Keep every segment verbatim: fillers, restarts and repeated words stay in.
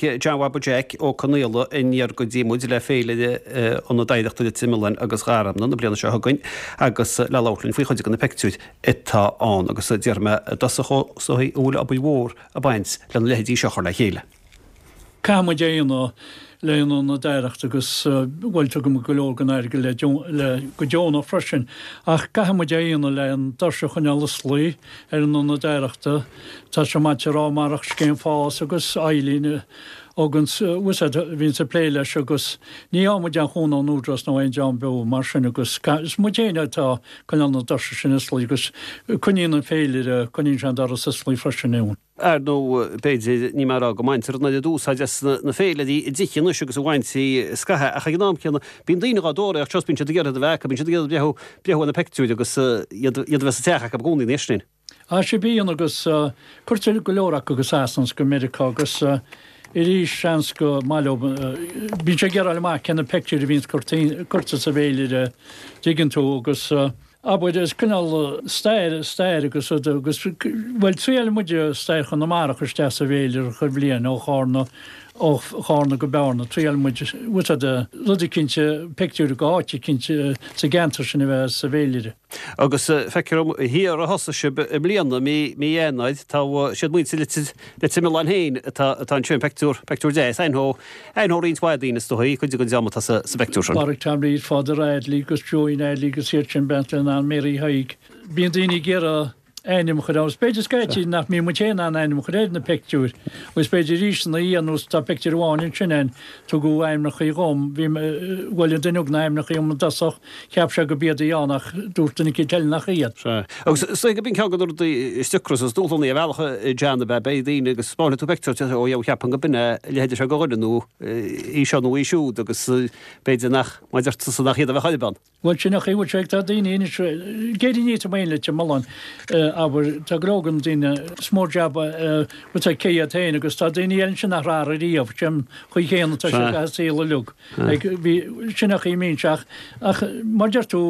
Tháinig John Bhaba Jeaic Ó Conaola aniar go dtí muid le féilire Ionad Oidhreachta Leitir Mealláin agus Gharmna na bliana seo chugainn agus le labhairt linn faoi chuid de na pictiúir atá ann agus déarfaidh mé i dtosach is dóigh go bhfuil obair mhór ag baint lena leithéidí seo a chur le chéile. Caithfidh muid é a dhéanamh le hIonad Oidhreachta agus bhuel tugaim go leor den airgead le go deonach freisin ach caithfidh muid é a dhéanamh le an doirse a choinneáil osclaí ar an Ionad Oidhreachta. Tá sé maith a rá marach scéim FÁS agus Eileen agus bhíonn ag plé leis agus ní fhaigheann muid aon chúnamh ón Údarás nó aon dream beo mar sin agus is muid féin atá coinneáil na doirse sin osclaí agus coinníonn an féilire coinníonn sé an doras osclaí freisin ann. Ar ndóigh, b'fhéidir, ní mar go mbaintear an oiread úsáid as na féilirí i dtithe anois agus a bhaintí scaitheamh, ach ag an am céanna, bíonn daoine dhá dtóraíocht seo, bíonn siad ag iarraidh a bheith acu, bíonn siad ag iarraidh breathnú, breathnú ar na pictiúir agus iad, iad a bheith sa teach acu i gcónaí anois sin. Á sea, bíonn agus cuirtear go leor acu go Sasana is go Meiriceá agus arís seans go maith leo, bíonn sé ag iarraidh fháil amach cé na pictiúir a bhíonns curtha sa bhféilire, dtuigeann tú, agus. Abair, is cineál stair, stair agus rud agus, bhuel, triaileann muid stair Chonamara isteach sa bhféilire chuile bhliain, ó Chárna, ó Chárna go Bearna, triaileann muid, bhfuil fhios a'd, rud eicínt, pictiúr go áit eicínt sa gceantar sin a bheith sa bhféilire. Agus feictear dom thiar a thosaigh sibh i mbliana, mí, mí Eanáir, tá, siad muintir Leitir, Leitir Mealláin féin atá, atá ansin, pictiúr, pictiúr deas, aithneoidh, aithneoidh roinnt mhaith daoine is dóigh, cuid den dream atá sa, sa bpictiúr sin. Pádraig Tom Reid, Father Adley agus Joey Adley agus iad sin bean le Nan Mary Thaidhg. Bíonn daoine ag iarraidh ainm a chur ann. Is b'fhéidir scaití nach mbíonn muid féin in ann ainm a chur ar na pictiúir agus b'fhéidir arís ina dhiaidh nós tá pictiúr amháin ansin ann tugadh ainmneacha dhom bhí bhuel an duine a thug na hainmneacha dhom i dtosach cheap sé go b'iad a bhí ann ach dúirt duine eicínt eile nach iad. Sea. Agus is dóigh go b'in ceann de na rudaí is deacra is dúshlánaí ar bhealach John ab ea beidh daoine agus spáinfidh tú pictiúr ó dheabhadh cheapfainn go b'in é a leithéid seo de dhuine nó í seo nó í siúd agus b'fhéidir nach, mar a deir tusa, nach iad a bheadh ar bun. Bhuel sin é bhfuil sé tá daoine anois géirí ní main le Mealláin abair tá go leor de na daoine is mór jab bhfuil sé cé iad féin agus tá daoine eile ansin nach raibh ariamh sin chaoi chéanna tá sé gach saol uilig ag bhí sin a chaoi mbíonn sé ach ach mar deir tú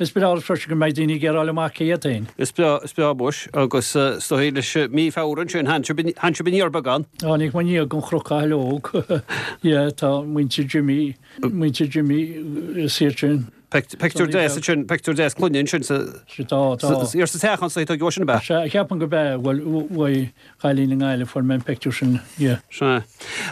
is breá freisin go mbeidh daoine ag iarraidh fháil amach cé iad féin. Is breá is breá muis agus is dóigh leis mí Feabhra ansin tháinig sibh aniar beagán. Tháinig muid aniar den Chnoc Athleog yeah tá muintir Jimmy muintir Jimmy is iad sin. Pictiúr deas ansin, pictiúr deas clainne ansin sa Tá, tá. Thiar sa teach anso a tógadh sin ab ea? Sea, ceapaim go b'ea, bhuel uaidh chailín i nGaillimh fuair mé an pictiúr sin, yeah. Sea.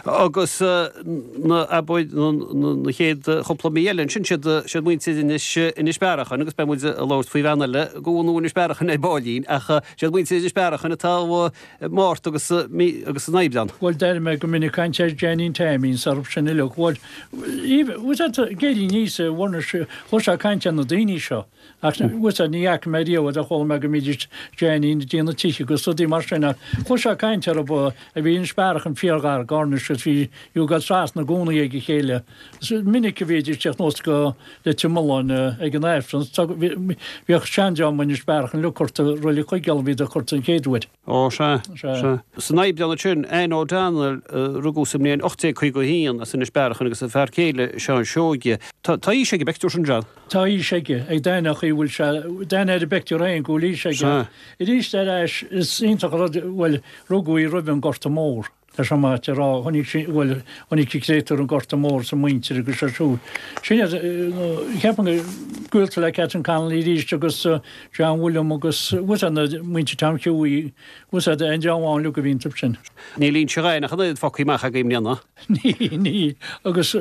Agus na, abair, na chéad chúpla mí eile ansin, siad, siad muintir Inis, Inis Bearachain agus beidh muid ag labhairt faoi bhean eile go bhunú Inis Bearachain ar baillín ach siad muintir Inis Bearachain atá i Márta agus mí, agus san Aibreán. Bhuel, d'airigh mé go minic caint ar Jeainín Taimín 's orthu sin uilig. Bhuel, bhfuil fhios a'd, ag éirí aníos i bhFornais, chloisfeá caint ar na daoine seo. Ach bhfuil fhios a'd, ní fhaca mé riamh iad ach chuala mé go mbídís Jeainín ag déanamh tithe agus rudaí mar sin ach chloisfeá caint orthu a bhí Inis Bearachain fíorghar d'Fhornais agus bhí you ag dul trasna i gcónaí ag a chéile. Is minic a bhídís ag teacht anuas go Leitir Mealláin ag an Aifreann. Bhíodh seandream Inis Bearachain uilig curtha Reilig Chuigéal a bhíodar curtha an chéad uair. Ó, sea, sea. San Aibreán ansin, Anne O'Donnell, a rugadh sa mbliain ocht déag caoga a haon as Inis Bearachain agus a fear céile, Seán Seoige. Tá aois ag an bpictiúr sin, John. Tá aois aige, ag d'aithneodh chaoi bhfuil sé, d'aithne ar an bpictiúr féin go bhfuil aois aige. Sea. Arís ar ais, is iontach an rud, bhuel, rugadh í roimh an Gorta Mór. Tá sé maith a rá, chonaic sí, bhuel, chonaic sí créatúr an Gorta Mór sa muintir agus sé siúd. Sin iad, ceapaim go gaolta le Catherine Connolly arís agus John William agus bhfuil fhios a'd na muintir Tom Hughie, bhfuil fhios a'd aon dream amháin uilig a bhí iontu sin. Níl Inse Ghaibhneach an oiread fágtha amach agaibh i mbliana. Níl, níl. Agus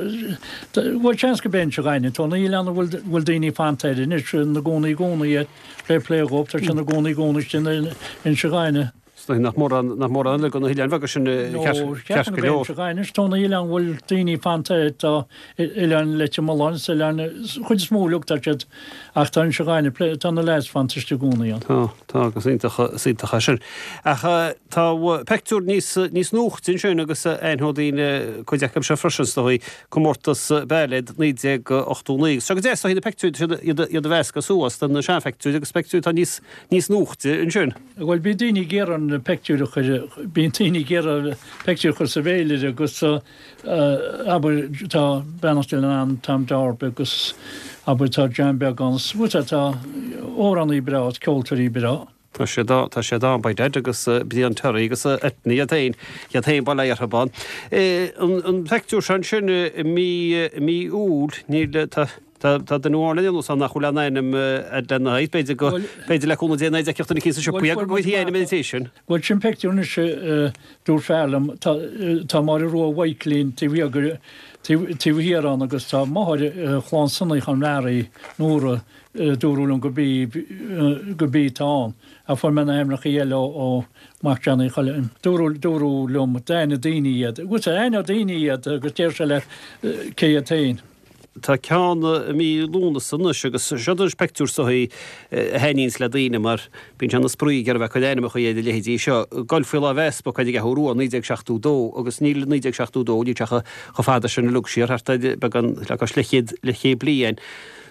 bhuel seans go b'é Inse Ghaibhne, tá an oileán a bhfuil bhfuil daoine fanta air anois ina gcónaí i gcónaí air, fair play dhóibh, tá siad ina gcónaí i gcónaí istigh in Inse Ghaibhne. Is dóigh nach mórán, nach mórán eile de na hoileáin bheaga sin ceart go leor. Anois tá na hoileáin a bhfuil daoine fanta air, tá oileán Leitir Mealláin is oileán, chuid is mó uilig tá siad, ach tá Inse Ghaibhne, tá na leaids fanta istigh i gcónaí ann. Tá, tá agus iontach, is iontach é sin. Ach tá pictiúr níos, níos nuachta ansin agus aithneoidh daoine cuid acu seo freisin is dóigh, comórtas bailéad naoi déag ochtó naoi. Agus seo go deas is dóigh na pictiúir, iad, iad a mheascadh suas de na seanphictiúir agus pictiúir atá níos, níos nuachta ansin. Bhuel, bíonn daoine ag iarraidh na pictiúir a chur, bíonn daoine ag iarraidh pictiúir a chur sa bhféilire agus abair tá beannacht Dé lena anam Tom Darby agus abair tá John Beag ann, bhuel tá amhránaí breá, ceoltóirí breá. Tá siad tá siad ann by dad agus Brian Terry agus Etni iad féin iad féin bail orthu ann. An pictiúr sin sin i mí mí Iúil níl tá Tá tá duine amháin le déanamh nach bhfuil aon ainm lena haghaidh, b'fhéidir go b'fhéidir le cúnamh Dé ná duine eicínt sa siopa go bhfuil ainm ina thaobh sin. Bhuel sin pictiúr anois dúirt fear liom tá tá Máire Rua Mhaidhcilín taobh thiar taobh thiar ann agus tá máthair chlann Sonaí Chonmara Nóra dúradh liom go bí go bí tá ann a fuair mé na hainmneacha eile ó Mac Johnny Choilm. Dúradh dúradh liom d'aithnigh daoine iad. Agus aithneodh daoine iad agus deir sé leat cé iad féin. Tá ceann i mí Lúnasa anois agus seo anois pictiúr is dóigh a thaitníonns le daoine mar bíonn sé ina spraoi ag iarraidh bheith ag cur ainmneacha ar a leithéidí seo. Golf faoi Lámh Easpaig ar an gCeathrú Rua, naoi déag seachtó dó agus níl naoi déag seachtó dó, níl sé chomh fada sin uilig siar, thart ar beagán le cois leathchéad leathchéad bliain.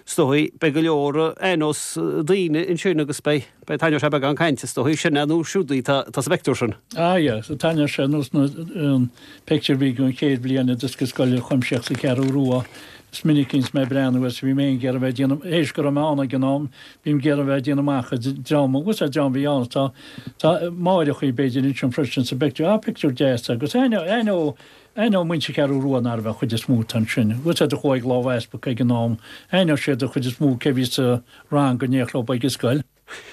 Is dóigh beidh go leor aithneos daoine ansin agus beidh beidh taitneoidh sé beagán cainte is dóigh sin é nó siúd í tá tá sa bpictiúr sin. Ah yeah, so taitneoidh sé nós na an pictiúr a bhí den chéad bhliain oideachais scoile chuimsitheach sa Cheathrú Rua. Is minic a bhíonns mé ag breathnú air so bhí mé ag iarraidh bheith ag déanamh théis go raibh mé ann ag an am bím ag iarraidh bheith ag déanamh amach an dream agus an dream a bhí ann tá tá máithreachaí b'fhéidir ansin freisin sa bpictiúr ah pictiúr deas agus aithneoidh aithneoidh Aithneoidh muintir Cheathrú Rua nárbh an chuid is mó atá ansin. Bhfuil siad a chuaigh ag Lámh Easpaig ag an am. Aithneoidh siad an chuid is mó cé bhí sa rang go n-éireodh leo ag an scoil.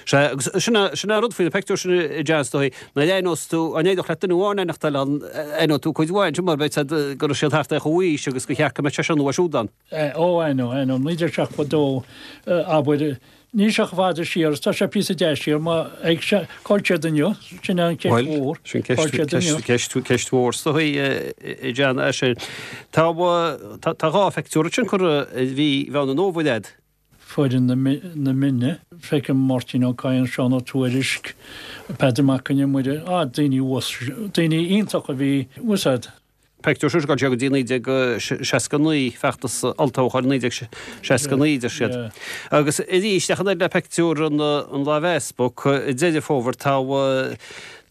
Sea, agus sin é, sin é an rud faoi na pictiúir sin a John, is dóigh, nuair a aithneos tú, an éireodh leat duine amháin a aithneachtáil ann, aithneoidh tú cuid mhaith ansin mar beidh siad, go raibh siad thart ar chomhaois agus gur cheart go mbeadh seisean nó siúd ann. Ó, aithneoidh, aithneoidh. naoi déag seachtó dó, abair, Níl sé chomh fada siar is tá sé píosa deas siar má ag se cá bhfuil siad inniu, sin an cheist Bhuel, mhór, sin cá bhfuil ceist, siad inniu? ceist, ceist mhór is dóigh, a John, é sin. Tá, tá, tá dhá phictiúr ansin curtha i mhí Mheán an Fhómhair a'd. Foireann na, na Mine, feicim Máirtín Ó Cadhain, Seán Ó Tuairisg, Peadar Mac Con Iomaire, ah, daoine uas, daoine iontacha a bhí, bhfuil 's a'd. Pictiúr seo go dtí naoi déag seasca naoi, feachtas olltoghcháin naoi déag seasca naoi, deir siad. Agus arís, ach an oiread le pictiúr an Lámh Easpaig, i Deireadh Fómhair tá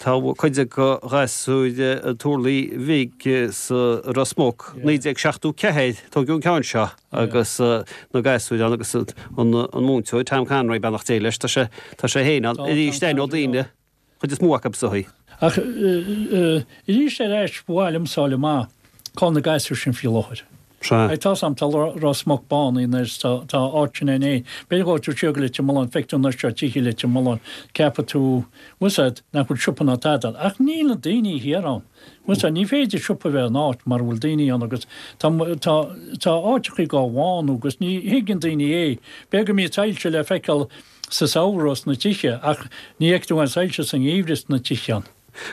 tá cuid de ghasúir an Turlaigh Bhig sa Ros Muc, naoi déag seachtó ceathair, tógadh an ceann seo agus na gasúir ann agus an múinteoir Tom Conroy, beannacht Dé leis, tá sé tá sé féin ann arís, aithneoidh daoine. Chuid is mó acu is dóigh. Ach arís ar ais, ba mhaith liom fáil amach cá bhfuil na gasúir sin faoi láthair. Sea. Tá 's a'm, tá Ros Muc bánaithe anois, tá tá áit sin in éin. B'fhéidir go bhfuil tú siar go Leitir Mealláin, feicfidh tú anois seo tithe Leitir Mealláin, ceapfaidh tú, bhfuil 's a'd, nach bhfuil siopa ná tada ann. Ach níl na daoine thiar ann. Bhfuil 's a'd, ní féidir siopa a bheith in áit mara bhfuil daoine ann agus tá tá tá áiteachaí dhá bhánú agus ní thuigeann daoine é. B'fhéidir go mbíonn soilse le feiceáil sa samhradh sna tithe ach ní fheicfidh tú aon soilse sa ngeimhreadh sna tithe ann.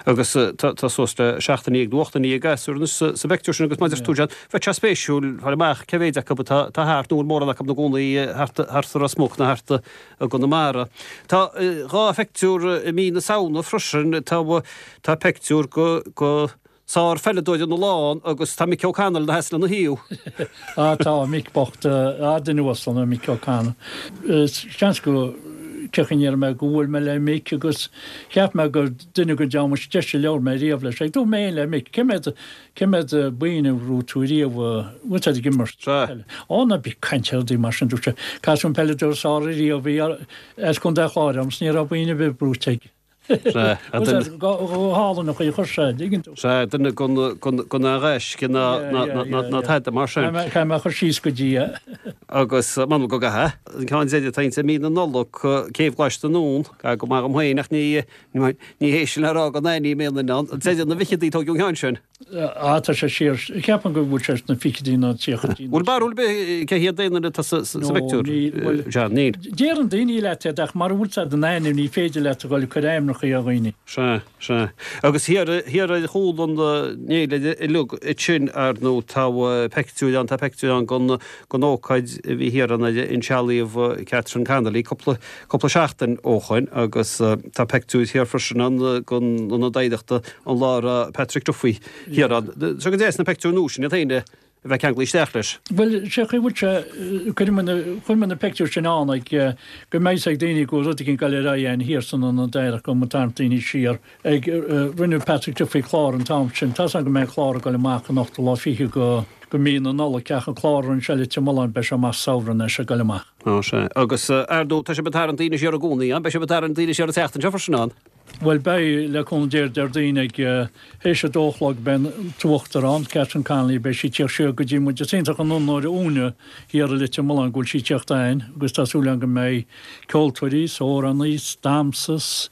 Agus tá suas le seacht ndéag nó ocht ndéag gasúr anois sa bpictiúr sin agus mar a deir tú John, bheadh sé spéisiúil fáil amach cé mhéid acu atá thart nó an bhfuil mórán acu ina gcónaí thart thart sa Ros Muc nó thart i gConamara. Tá dhá phictiúr i mí na Samhna freisin, tá tá pictiúr go go Sár-pheileadóir an oileáin agus tá Mick O'Connell ina sheasamh lena thaobh. Á tá, Mick bocht, á duine uasal é Mick O'Connell. Seans go cén chaoi a ndéarfaidh mé go bhuail mé le Mick agus cheap mé gur duine den dream is deise a labhair mé riamh leis. Ag dúirt mé féin le Mick, cé mhéad, cé mhéad boinn a bhuaigh tú riamh, bhfuil tú ag imirt peile? Ó ná bí ag caint ar rudaí mar sin, dúirt sé, caithfidh tú an peileadóir is fearr ariamh a bhí as Contae an Chláir orm 's ní raibh boinn ar bith buaite aige. Go hálainn an chaoi a chuir sé, an dtuigeann tú. Sea, duine den ghaisce ná tada mar sin. Caithfidh mé a chur síos go dtí é. Agus m'anam go gcaithfidh. An ceann deiridh atá insa mí na Nollag, Céibh Ghlais na nDún, go maith dhom féin ach ní hé sin le rá go n-aithním aon duine ann. Deireadh na bhfichidí a tógadh an ceann sin. Á, tá sé siar. Ceapaim go bhfuil sé sna fichidí nó tríochaidí. Bhfuil barúil ar bith cé hiad aon duine atá sa phictiúr, John? Níl. Deireann daoine leat iad ach mara bhfuil 's a'd a n-ainm ní féidir leat a dhul ag cur ainmneacha ar dhaoine. Sea, sea. Agus thiar, thiar ar chúl an fhéilire uilig ansin, ar ndóigh, tá peictiúir ann, tá peictiúir ann den, den ócáid a bhí thiar ann ar insealbhaíodh Catherine Connolly cúpla, cúpla seachtain ó shoin agus tá peictiúir thiar freisin ann den Ionad Oidhreachta an lá a raibh Patrick Duffy thiar ann. Seo go deas na peictiúir nua sin iad féin a bheith ceanglaithe isteach leis. Bhuel, sé chaoi bhfuil sé, chuir mé na, chuir mé na pictiúir sin ann ag, go mbeidh ag daoine go bhfuil rud éigin ag dul ar aghaidh ann thiar san Ionad Oidhreachta go mbeidh tarraingt daoine siar ag, rinne Patrick Duffy clár an t-am sin, tá's agam go mbeidh an clár ag dul amach an ochtú lá fiche go, go mí na Nollag ach an clár a rinne sé i Leitir Mealláin beidh sé amach samhradh anois ag dul amach. Ó sea. Agus ar ndóigh tá sibh ag tarraingt daoine siar i gcónaí, an? Beidh sibh ag tarraingt daoine siar an tseachtain seo freisin, an? Bhuel beidh, le cúnamh Dé, Déardaoin ag théis a dó a chlog beidh an tUachtarán, Catherine Connolly, beidh sí ag tíocht siar go dtí muid. Is iontach an onóir dhúinne thiar i Leitir Mealláin go bhfuil sí ag tíocht ann agus tá súil agam go mbeidh ceoltóirí 's amhránaí 's damhsa 's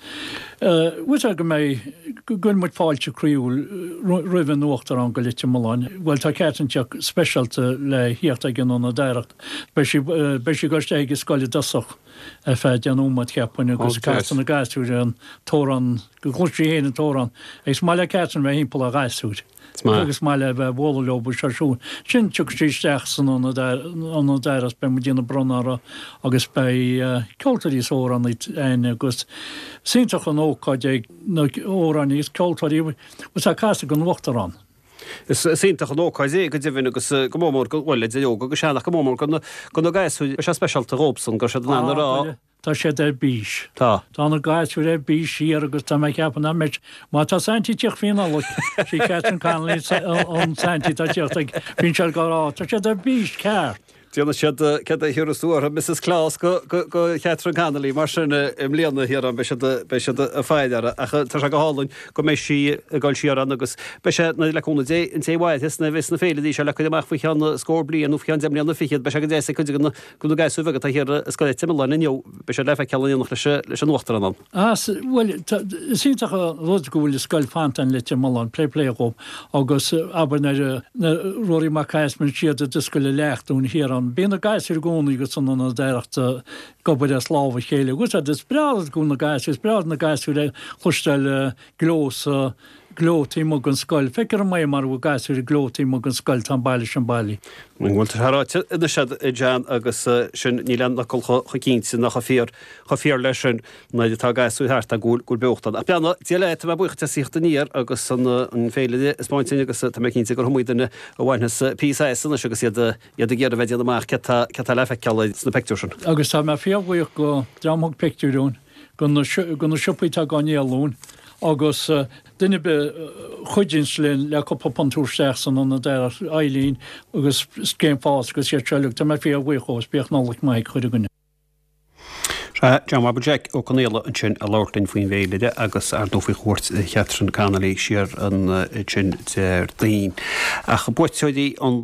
bhfuil sé go mbeidh, go gcuireann muid fáilte croíúil roimh an Uachtarán go Leitir Mealláin. Bhuel tá Catherine ag tíocht speisialta le thíocht ag an Ionad Oidhreachta. Beidh sí, beidh sí ag dul isteach ag an scoil i dtosach ar feadh deich nóiméad cheapfainn agus casfaidh na gasúir an t-amhrán, go gcloisfidh sí féin an t-amhrán. Agus is maith le Catherine bheith thimpeall ar ghasúir agus is maith léi bheith ag bualadh leo agus seo siúd. Ansin tiocfaidh sí isteach san ionad ionad oidhreachta beidh muid ag déanamh bronnadh uirthi agus beidh ceoltóirí is amhránaí ann agus is iontach an ócáid é na amhránaí is ceoltóirí agus á casadh don Uachtarán. Is iontach an ócáid é go deimhin agus go mór mór, bhuel, idir óg agus sean ach go mór mór do na gasúir, beidh sé speisialta dhóibhsan go raibh siad in ann a rá. Tá siad ar bís. Tá. Tá na gasúir ar bís siar agus tá mé ag ceapadh nach mbeidh, má tá Saintí ag tíocht faoi Nollaig, sí Catherine Connolly an Saintí atá ag tíocht ag, bíonn siad ag rá, tá siad ar bís ceart. Déanfaidh siad céard a thiúrfas tú orthu, Missus Claus go Catherine Connolly, mar sin i mbliana thiar ann, beidh siad beidh siad ag faire uirthi. Ach tá sé go hálainn go mbeidh sí ag dul siar ann agus beidh sé, le cúnamh Dé, an té a mhairfeas nuair a bheas na féilirí seo le cur amach faoi cheann scór bliain nó faoi cheann deich mbliana fichead, beidh sé go deas ag cuid de na de na gasúir bheaga atá thiar i Scoil Leitir Mealláin inniu, beidh siad le feiceáil in éineacht leis leis an Uachtarán ann. Ah, bhuel, is iontach an rud go bhfuil an scoil fanta in Leitir Mealláin, plé plé dhób, agus abair nuair a Ruairí Mac Easmainn siad ag scoil a leacht dúinn thiar ann, bíonn na gasúir i gcónaí agus san ionad oidhreachta ag obair as lámh a chéile. Agus is breá go bhfuil na gasúir, is breá na gasúir a chloisteáil gleo sa gleo taobh amuigh den scoil. Feictear dom é mar a bhfuil gasúir ag gleo taobh amuigh den scoil, tá an baile sin bailí. An bhfuil tú ráite anois agat John agus sin níl aon fhocal chomh cinnte ná chomh fíor chomh fíor leis sin nuair atá gasúir thart go bhfuil go bhfuil beocht ann. Ach beannacht Dé leat, tá mé buíoch as theacht aniar agus an an féilire a 'spáint dúinn agus tá mé cinnte gur iomaí duine a bhainfeas píosa as anois agus iad iad ag iarraidh bheith ag déanamh amach céard tá céard tá le feiceáil sna pictiúir sin. Agus tá mé fíorbhuíoch go dream a thug pictiúir dúinn, go na go na siopaí atá á ndíol dúinn agus duine ar bith a chuidíonns linn le cúpla punt a thabhairt isteach san ionad oidhreachta, Eileen agus Scéim Fás agus iad seo uilig, tá mé fíorbhuíoch dhóibh is bíodh Nollaig maith ag chuile dhuine. Sea, John Bhabaí Jeaic Ó Conaola ansin ag labhairt linn faoin bhféilire agus ar ndóigh faoi chuairt Chatherine Connolly siar ansin Déardaoin. Ach buaiteoirí an.